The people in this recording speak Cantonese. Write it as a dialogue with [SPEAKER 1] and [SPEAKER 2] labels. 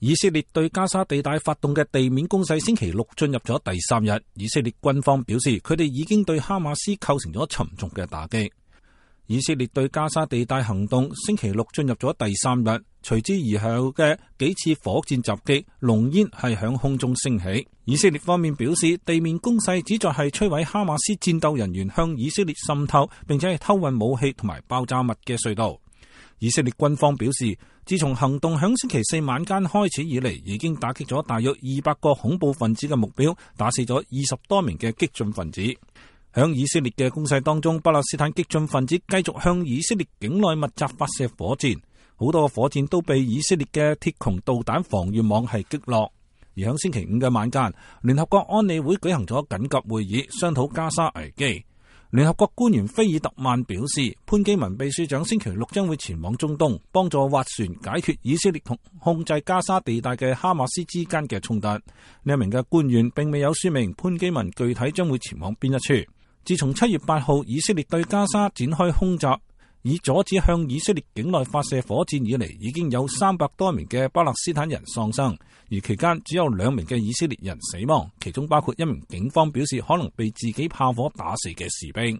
[SPEAKER 1] 以色列對加沙地帶發動嘅地面攻勢星期六進入咗第3日，以色列軍方表示佢哋已經對哈馬斯構成咗沉重嘅打擊。以色列對加沙地帶行動星期六進入咗第3日，隨之而後嘅幾次火箭襲擊，濃煙係響空中升起。以色列方面表示，地面攻勢旨在係摧毀哈馬斯戰鬥人員向以色列滲透並且係偷運武器同埋爆炸物嘅隧道。以色列軍方表示，自從行動響星期4晚間開始以嚟，已經打擊咗大約200個恐怖分子嘅目標，打死咗20多名嘅激進分子。響以色列嘅攻勢當中，巴勒斯坦激進分子繼續向以色列境內密集發射火箭，好多個火箭都被以色列嘅鐵穹導彈防禦網係擊落。而響星期5嘅晚間，聯合國安理會舉行咗緊急會議，商討加沙危機。聯合國官員菲爾特曼表示，潘基文秘書長星期六將會前往中東，幫助斡旋解決以色列同控制加沙地帶嘅哈馬斯之間嘅衝突。呢一名嘅官員並未有說明潘基文具體將會前往邊一處。自從7月8號以色列對加沙展開空襲，以阻止向以色列境內發射火箭以嚟，已經有300多名嘅巴勒斯坦人喪生，而期間只有2名嘅以色列人死亡，其中包括一名警方表示可能被自己炮火打死嘅士兵。